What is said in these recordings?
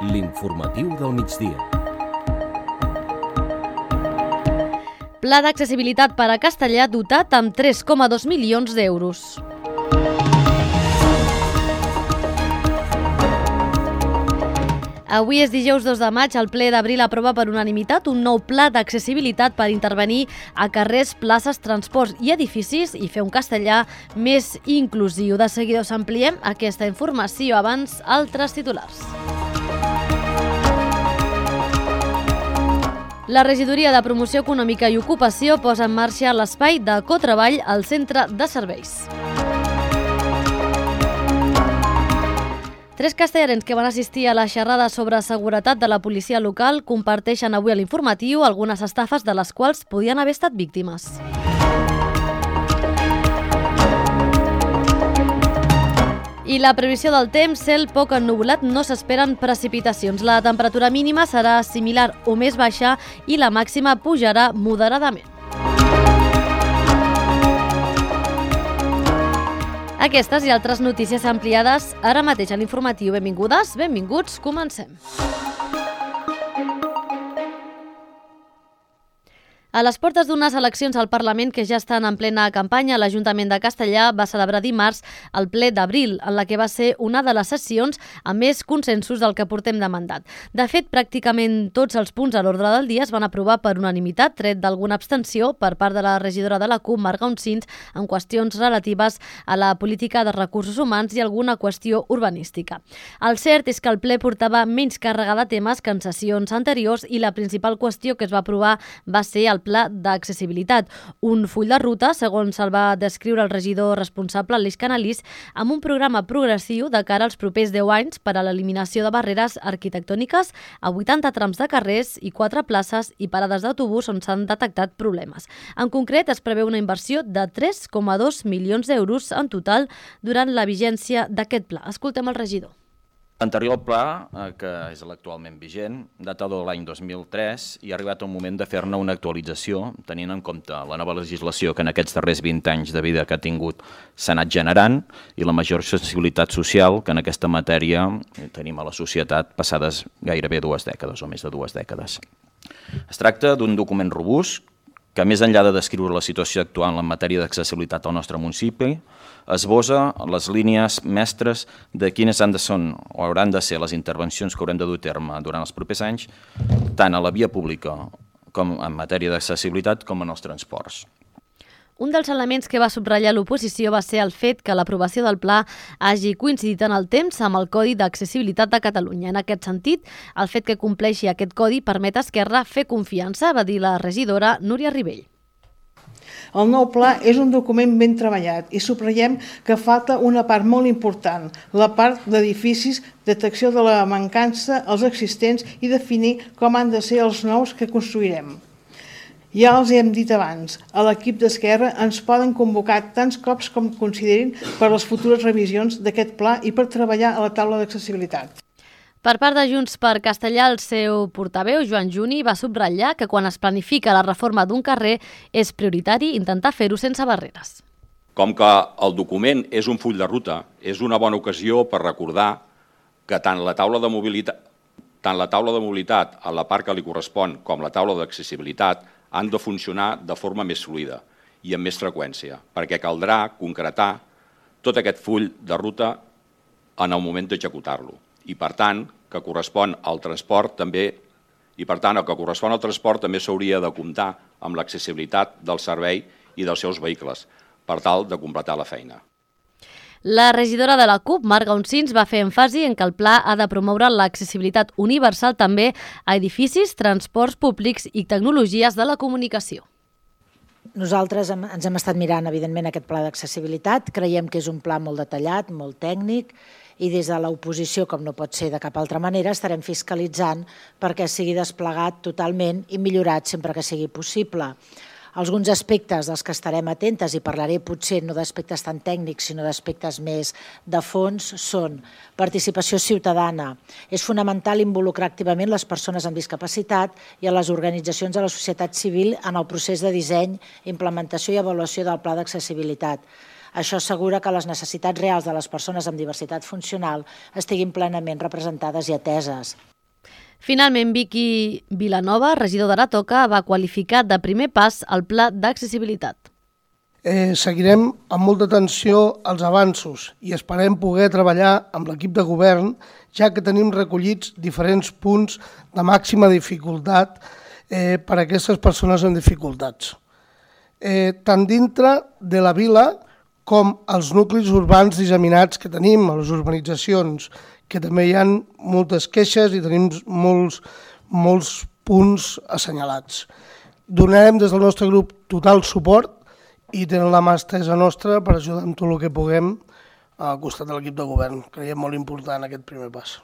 L'informatiu del migdia. Pla d'accessibilitat per a castellà dotat amb 3,2 milions d'euros. Avui és dijous 2 de maig, el ple d'Abril aprova per unanimitat un nou pla d'accessibilitat per intervenir a carrers, places, transports i edificis i fer un castellà més inclusiu. De seguida us ampliem aquesta informació, abans altres titulars. La Regidoria de Promoció Econòmica i Ocupació posa en marxa l'espai de cotreball al centre de serveis. 3 castellarens que van assistir a la xerrada sobre seguretat de la policia local comparteixen avui a l'informatiu algunes estafes de les quals podien haver estat víctimes. I la previsió del temps, cel poc ennuvolat, no s'esperen precipitacions. La temperatura mínima serà similar o més baixa i la màxima pujarà moderadament. Aquestes i altres notícies ampliades ara mateix a l'informatiu. Benvingudes, benvinguts, comencem. A les portes d'unes eleccions al Parlament que ja estan en plena campanya, l'Ajuntament de Castellà va celebrar dimarts el ple d'Abril, en la que va ser una de les sessions amb més consensos del que portem de mandat. De fet, pràcticament tots els punts a l'ordre del dia es van aprovar per unanimitat, tret d'alguna abstenció per part de la regidora de la CUP, Marga Uncins, en qüestions relatives a la política de recursos humans i alguna qüestió urbanística. El cert és que el ple portava menys càrrega de temes que en sessions anteriors i la principal qüestió que es va aprovar va ser el pla d'accessibilitat, un full de ruta, segons el va descriure el regidor responsable, Aleix Canalís, amb un programa progressiu de cara als propers 10 anys per a l'eliminació de barreres arquitectòniques a 80 trams de carrers i 4 places i parades d'autobús on s'han detectat problemes. En concret, es preveu una inversió de 3,2 milions d'euros en total durant la vigència d'aquest pla. Escoltem el regidor. L'anterior pla, que és l'actualment vigent, data de l'any 2003 i ha arribat el moment de fer-ne una actualització, tenint en compte la nova legislació que en aquests darrers 20 anys de vida que ha tingut s'ha anat generant i la major sensibilitat social que en aquesta matèria tenim a la societat passades gairebé 2 dècades o més de 2 dècades. Es tracta d'un document robust que, més enllà de descriure la situació actual en matèria d'accessibilitat al nostre municipi, esbossa les línies mestres de quines han de ser o hauran de ser les intervencions que haurem de dur a terme durant els propers anys, tant a la via pública com en matèria d'accessibilitat com en els transports. Un dels elements que va subratllar l'oposició va ser el fet que l'aprovació del pla hagi coincidit en el temps amb el Codi d'Accessibilitat de Catalunya. En aquest sentit, el fet que compleixi aquest codi permet a Esquerra fer confiança, va dir la regidora Núria Ribell. El nou pla és un document ben treballat i subratllem que falta una part molt important, la part d'edificis, detecció de la mancança, els existents i definir com han de ser els nous que construirem. Ja els hem dit abans, a l'equip d'Esquerra ens poden convocar tants cops com considerin per les futures revisions d'aquest pla i per treballar a la taula d'accessibilitat. Per part de Junts per Castellà, el seu portaveu, Joan Juni, va subratllar que quan es planifica la reforma d'un carrer és prioritari intentar fer-ho sense barreres. Com que el document és un full de ruta, és una bona ocasió per recordar que tant la taula de mobilitat a la part que li correspon com la taula d'accessibilitat han de funcionar de forma més fluida i amb més freqüència, perquè caldrà concretar tot aquest full de ruta en el moment d'executar-lo. I per tant, que correspon al transport també s'hauria de comptar amb l'accessibilitat del servei i dels seus vehicles, per tal de completar la feina. La regidora de la CUP, Marga Uncins, va fer èmfasi en que el pla ha de promoure l'accessibilitat universal també a edificis, transports públics i tecnologies de la comunicació. Nosaltres ens hem estat mirant, evidentment, aquest pla d'accessibilitat. Creiem que és un pla molt detallat, molt tècnic, i des de l'oposició, com no pot ser de cap altra manera, estarem fiscalitzant perquè sigui desplegat totalment i millorat sempre que sigui possible. Alguns aspectes dels que estarem atentes, i parlaré potser no d'aspectes tan tècnics, sinó d'aspectes més de fons, són participació ciutadana. És fonamental involucrar activament les persones amb discapacitat i a les organitzacions de la societat civil en el procés de disseny, implementació i avaluació del pla d'accessibilitat. Això assegura que les necessitats reals de les persones amb diversitat funcional estiguin plenament representades i ateses. Finalment, Vicky Vilanova, regidor d'Aratoca, va qualificar de primer pas el pla d'accessibilitat. Seguirem amb molta atenció als avanços i esperem poder treballar amb l'equip de govern, ja que tenim recollits diferents punts de màxima dificultat per a aquestes persones amb dificultats. Tant dintre de la vila com als nuclis urbans disseminats que tenim, a les urbanitzacions, que també hi ha moltes queixes i tenim molts punts assenyalats. Donarem des del nostre grup total suport i tenen la mà estesa nostra per ajudar amb tot el que puguem al costat de l'equip de govern. Creiem molt important aquest primer pas.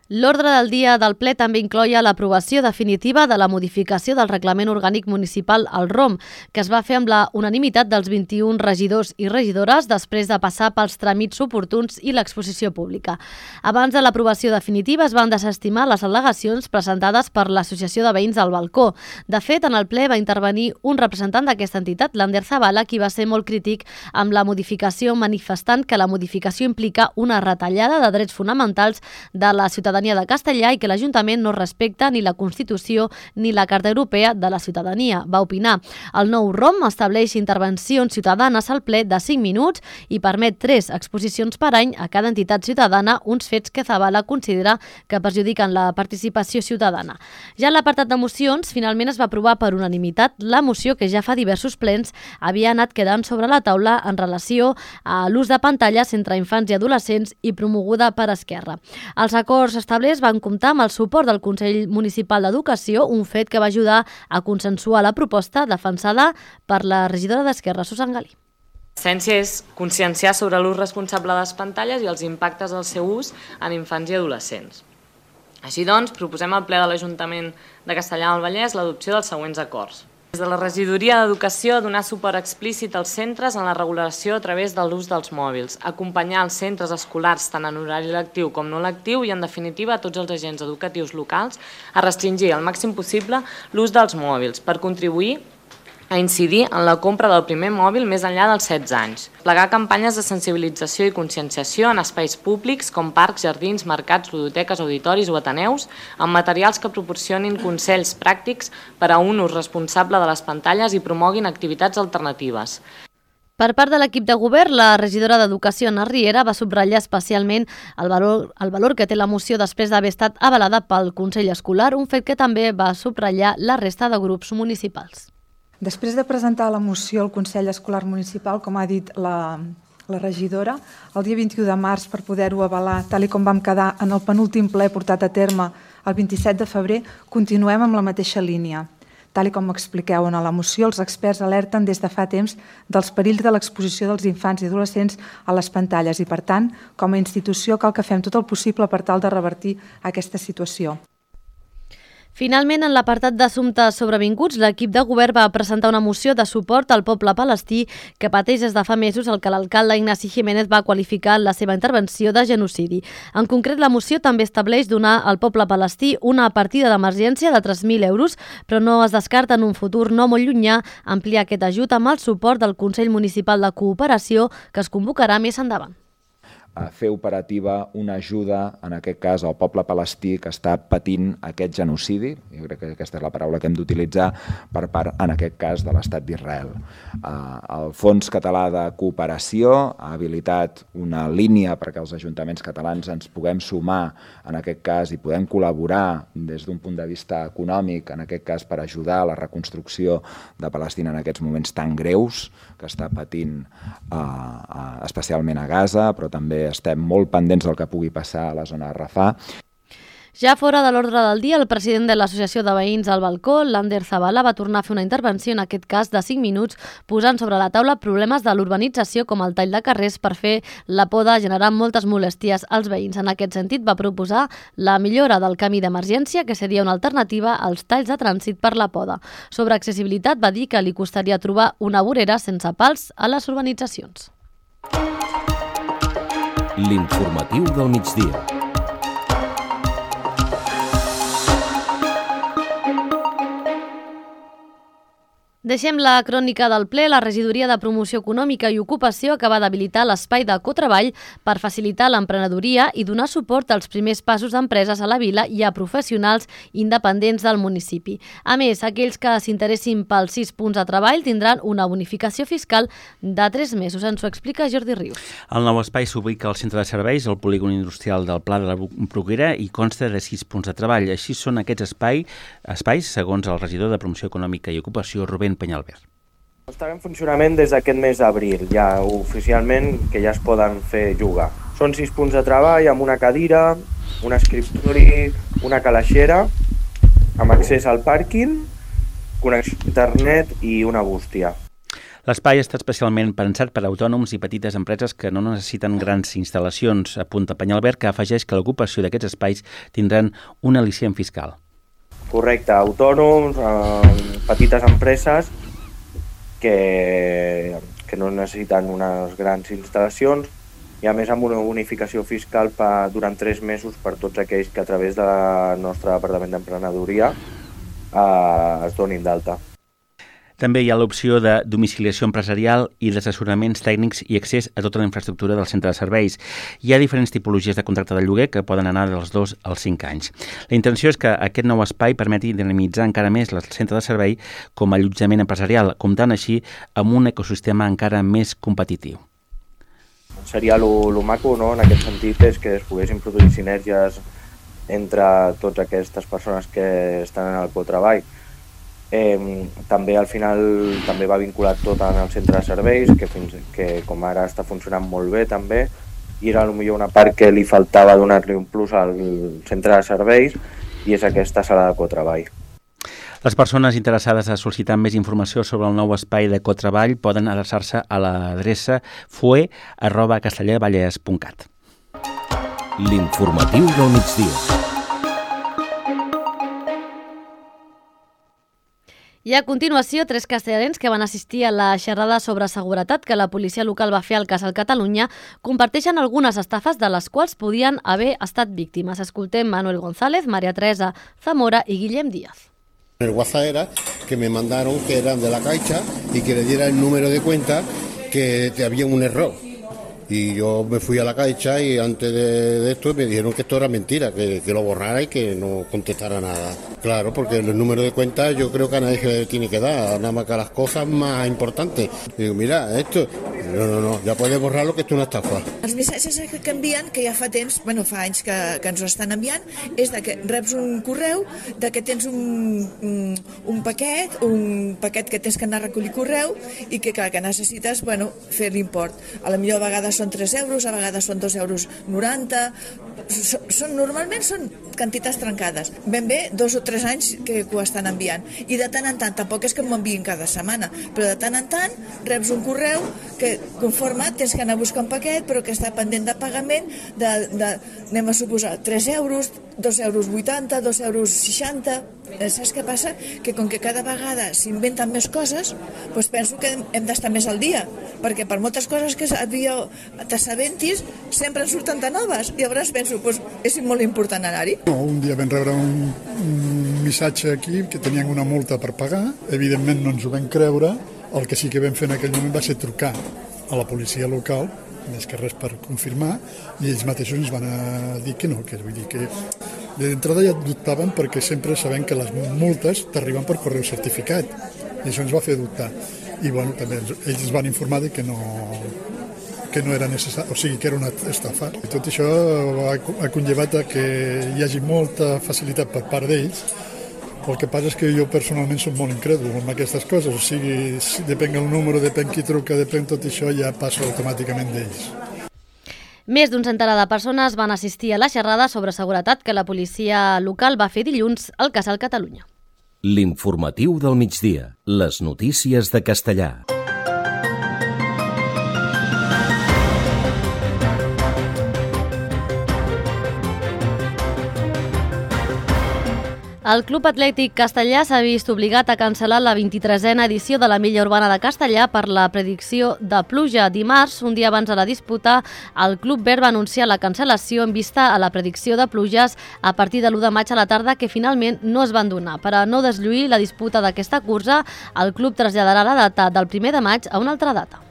L'ordre del dia del ple també incloïa l'aprovació definitiva de la modificació del Reglament Orgànic Municipal, el ROM, que es va fer amb la unanimitat dels 21 regidors i regidores després de passar pels tràmits oportuns i l'exposició pública. Abans de l'aprovació definitiva es van desestimar les al·legacions presentades per l'Associació de Veïns del Balcó. De fet, en el ple va intervenir un representant d'aquesta entitat, l'Ander Zavala, qui va ser molt crític amb la modificació, manifestant que la modificació implica una retallada de drets fonamentals de la ciutadania de Castellà i que l'Ajuntament no respecta ni la Constitució ni la Carta Europea de la Ciutadania, va opinar. El nou ROM estableix intervencions ciutadanes al ple de 5 minuts i permet 3 exposicions per any a cada entitat ciutadana, uns fets que Zavala considera que perjudiquen la participació ciutadana. Ja en l'apartat de mocions, finalment es va aprovar per unanimitat la moció que ja fa diversos plens havia anat quedant sobre la taula en relació a l'ús de pantalles entre infants i adolescents i promoguda per Esquerra. Els acords establerts van comptar amb el suport del Consell Municipal d'Educació, un fet que va ajudar a consensuar la proposta defensada per la regidora d'Esquerra, Susan Galí. L'essència és conscienciar sobre l'ús responsable de les pantalles i els impactes del seu ús en infants i adolescents. Així doncs, proposem al ple de l'Ajuntament de Castellar del Vallès l'adopció dels següents acords. Des de la Regidoria d'Educació, donar suport explícit als centres en la regulació a través de l'ús dels mòbils, acompanyar els centres escolars tant en horari lectiu com no lectiu i, en definitiva, a tots els agents educatius locals a restringir al màxim possible l'ús dels mòbils per contribuir a incidir en la compra del primer mòbil més enllà dels 16 anys. Plegar campanyes de sensibilització i conscienciació en espais públics com parcs, jardins, mercats, ludoteques, auditoris o ateneus, amb materials que proporcionin consells pràctics per a un ús responsable de les pantalles i promoguin activitats alternatives. Per part de l'equip de govern, la regidora d'Educació, Ana Riera, va subratllar especialment el valor que té la moció després d'haver estat avalada pel Consell Escolar, un fet que també va subratllar la resta de grups municipals. Després de presentar la moció al Consell Escolar Municipal, com ha dit la regidora, el dia 21 de març per poder-ho avalar, tal com vam quedar en el penúltim ple portat a terme el 27 de febrer, continuem amb la mateixa línia. Tal com expliqueu en la moció, els experts alerten des de fa temps dels perills de l'exposició dels infants i adolescents a les pantalles i, per tant, com a institució cal que fem tot el possible per tal de revertir aquesta situació. Finalment, en l'apartat d'assumptes sobrevinguts, l'equip de govern va presentar una moció de suport al poble palestí que pateix des de fa mesos el que l'alcalde Ignasi Jiménez va qualificar en la seva intervenció de genocidi. En concret, la moció també estableix donar al poble palestí una partida d'emergència de 3.000 euros, però no es descarta en un futur no molt llunyà ampliar aquest ajut amb el suport del Consell Municipal de Cooperació que es convocarà més endavant. A fer operativa una ajuda, en aquest cas, al poble palestí que està patint aquest genocidi. Jo crec que aquesta és la paraula que hem d'utilitzar per part, en aquest cas, de l'Estat d'Israel. El Fons Català de Cooperació ha habilitat una línia perquè els ajuntaments catalans ens puguem sumar, en aquest cas, i podem col·laborar des d'un punt de vista econòmic, en aquest cas, per ajudar a la reconstrucció de Palestina en aquests moments tan greus que està patint especialment a Gaza, però també estem molt pendents del que pugui passar a la zona de Rafah. Ja fora de l'ordre del dia, el president de l'Associació de Veïns al Balcó, l'Ander Zavala, va tornar a fer una intervenció, en aquest cas de 5 minuts, posant sobre la taula problemes de l'urbanització com el tall de carrers per fer la poda, generant moltes molèsties als veïns. En aquest sentit, va proposar la millora del camí d'emergència, que seria una alternativa als talls de trànsit per la poda. Sobre accessibilitat, va dir que li costaria trobar una vorera sense pals a les urbanitzacions. L'informatiu del migdia. Deixem la crònica del ple. La Regidoria de Promoció Econòmica i Ocupació acaba d'habilitar l'espai de cotreball per facilitar l'emprenedoria i donar suport als primers passos d'empreses a la vila i a professionals independents del municipi. A més, aquells que s'interessin pels 6 punts de treball tindran una bonificació fiscal de 3 mesos. Ens ho explica Jordi Rius. El nou espai s'ubica al centre de serveis, al polígon industrial del Pla de la Bruguera, i consta de 6 punts de treball. Així són aquests espais, segons el regidor de Promoció Econòmica i Ocupació, Rubén Peñalver. Estarà en funcionament des d'aquest mes d'abril, ja oficialment que ja es poden fer jugar. Són 6 punts de treball amb una cadira, un escriptori, una calaixera, amb accés al pàrquing, connexió a internet i una bústia. L'espai està especialment pensat per a autònoms i petites empreses que no necessiten grans instal·lacions, apunta Peñalver, que afegeix que l'ocupació d'aquests espais tindran un al·licient fiscal. Correcte, autònoms, petites empreses que no necessiten unes grans instal·lacions i a més amb una bonificació fiscal durant 3 mesos per tots aquells que a través del nostre Departament d'Emprenedoria es donin d'alta. També hi ha l'opció de domiciliació empresarial i d'assessoraments tècnics i accés a tota la infraestructura del centre de serveis. Hi ha diferents tipologies de contracte de lloguer que poden anar dels 2 als 5 anys. La intenció és que aquest nou espai permeti dinamitzar encara més el centre de servei com a allotjament empresarial, comptant així amb un ecosistema encara més competitiu. Seria lo maco, no? En aquest sentit, és que es poguessin produir sinergies entre totes aquestes persones que estan en el cotreball. També al final també va vinculat tot en el centre de serveis, que com ara està funcionant molt bé també, i era potser una part que li faltava donar-li un plus al centre de serveis, i és aquesta sala de cotreball. Les persones interessades a sol·licitar més informació sobre el nou espai de cotreball poden adreçar-se a l'adreça fue@castellervallès.cat. L'informatiu del migdia. I a continuació, 3 castellans que van assistir a la xerrada sobre seguretat que la policia local va fer al Casal Catalunya comparteixen algunes estafes de les quals podien haver estat víctimes. Escoltem Manuel González, María Teresa Zamora y Guillem Díaz. El WhatsApp era que me mandaron que eran de la Caixa y que le diera el número de cuenta que había un error. Y yo me fui a la Caixa y antes de esto me dijeron que esto era mentira, que lo borrara y que no contestara nada. Claro, porque el número de cuenta yo creo que a nadie se le tiene que dar, nada más que a las cosas más importantes. Digo, mira, esto, no, ja puedes borrar-lo, que és una estafa. Els missatges que envien, que ja fa temps, fa anys que ens ho estan enviant, és de que reps un correu, de que tens un paquet que tens que anar a recollir correu i que necessites fer l'import. A la millor a vegades són 3 euros, a vegades són 2,90 €. Normalment són quantitats trencades. Ben bé 2 o 3 anys que ho estan enviant. I de tant en tant, tampoc és que m'ho enviïn cada setmana, però de tant en tant reps un correu que conforme tens que anar a buscar un paquet, però que està pendent de pagament anem a suposar 3 euros, 2,80 €, 2,60 €. Saps què passa? Que com que cada vegada s'inventen més coses, doncs penso que hem d'estar més al dia, perquè per moltes coses que t'assabentis sempre en surten de noves, i llavors penso, és molt important anar-hi. Un dia vam rebre un missatge aquí que tenien una multa per pagar, evidentment no ens ho vam creure. El que sí que vam fer en aquell moment va ser trucar a la policia local, més que res per confirmar, i ells mateixos ens van dir que no, que vull dir que d'entrada ja dubtaven, perquè sempre sabem que les multes t'arriben per correu certificat, i això ens va fer dubtar. I també ells ens van informar de que no era necessari, o sigui que era una estafa. I tot això ha conllevat que hi hagi molta facilitat per part d'ells. El que passa és que jo personalment soc molt incrèdul amb aquestes coses, o sigui, depèn el número, depèn qui truca, depèn tot això, ja passa automàticament d'ells. Més d'un centenar de persones van assistir a la xerrada sobre seguretat que la policia local va fer dilluns al Casal Catalunya. L'informatiu del migdia. Les notícies de Castellà. El Club Atlètic Castellà s'ha vist obligat a cancel·lar la 23a edició de la Milla Urbana de Castellà per la predicció de pluja. Dimarts, un dia abans de la disputa, el Club Verd va anunciar la cancel·lació en vista a la predicció de pluges a partir de l'1 de maig a la tarda, que finalment no es van donar. Per a no deslluir la disputa d'aquesta cursa, el club traslladarà la data del 1 de maig a una altra data.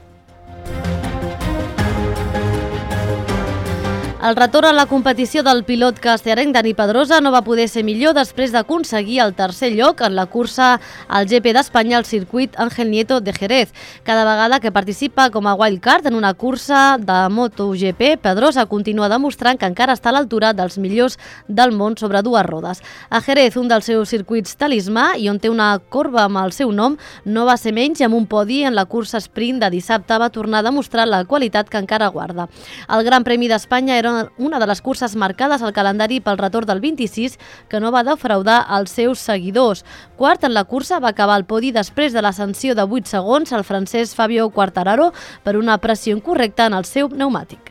El retorn a la competició del pilot castellerenc Dani Pedrosa no va poder ser millor després d'aconseguir el tercer lloc en la cursa al GP d'Espanya al circuit Ángel Nieto de Jerez. Cada vegada que participa com a wildcard en una cursa de MotoGP, Pedrosa continua demostrant que encara està a l'altura dels millors del món sobre dues rodes. A Jerez, un dels seus circuits talismà i on té una corba amb el seu nom, no va ser menys, amb un podi en la cursa sprint de dissabte va tornar a demostrar la qualitat que encara guarda. El Gran Premi d'Espanya era una de les curses marcades al calendari pel retorn del 26, que no va defraudar els seus seguidors. Quart en la cursa va acabar el podi després de la sanció de 8 segons al francès Fabio Quartararo per una pressió incorrecta en el seu pneumàtic.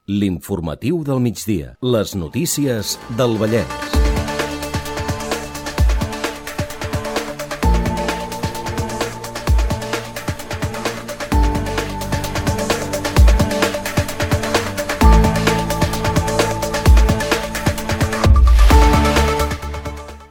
L'informatiu del migdia. Les notícies del Vallès.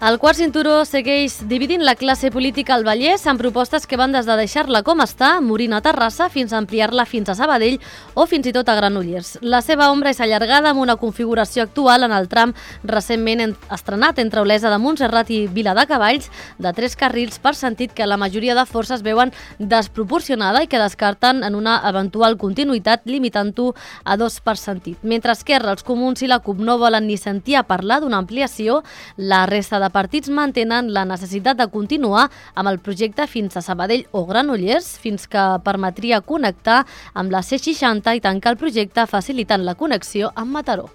El quart cinturó segueix dividint la classe política al Vallès amb propostes que van des de deixar-la com està, morint a Terrassa, fins a ampliar-la fins a Sabadell o fins i tot a Granollers. La seva ombra és allargada amb una configuració actual en el tram recentment estrenat entre Olesa de Montserrat i Viladecavalls de 3 carrils per sentit que la majoria de forces veuen desproporcionada i que descarten en una eventual continuïtat limitant-ho a 2 per sentit. Mentre Esquerra, els Comuns i la CUP no volen ni sentir a parlar d'una ampliació, la resta de partits mantenen la necessitat de continuar amb el projecte fins a Sabadell o Granollers, fins que permetria connectar amb la C60 i tancar el projecte facilitant la connexió amb Mataró.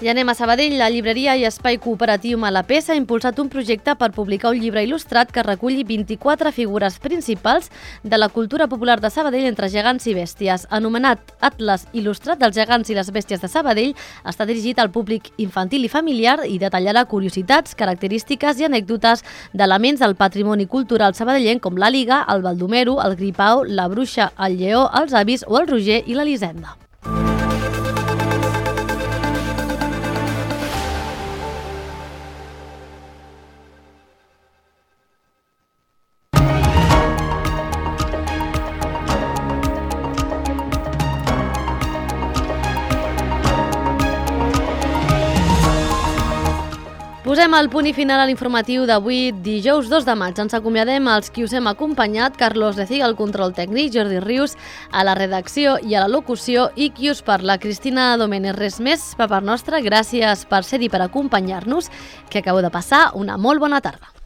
I anem a Sabadell. La llibreria i espai cooperatiu Malapés ha impulsat un projecte per publicar un llibre il·lustrat que reculli 24 figures principals de la cultura popular de Sabadell entre gegants i bèsties. Anomenat Atles il·lustrat dels gegants i les bèsties de Sabadell, està dirigit al públic infantil i familiar i detallarà curiositats, característiques i anècdotes d'elements del patrimoni cultural sabadellenc com la Liga, el Baldomero, el Gripau, la Bruixa, el Lleó, els Avis o el Roger i l'Elisenda. Posem el punt i final a l'informatiu d'avui, dijous 2 de maig. Ens acomiadem als qui us hem acompanyat, Carlos Leciga, al control tècnic, Jordi Rius, a la redacció i a la locució, i qui us parla, Cristina Domènech. Res més per part nostra, gràcies per ser-hi, per acompanyar-nos, que acabeu de passar una molt bona tarda.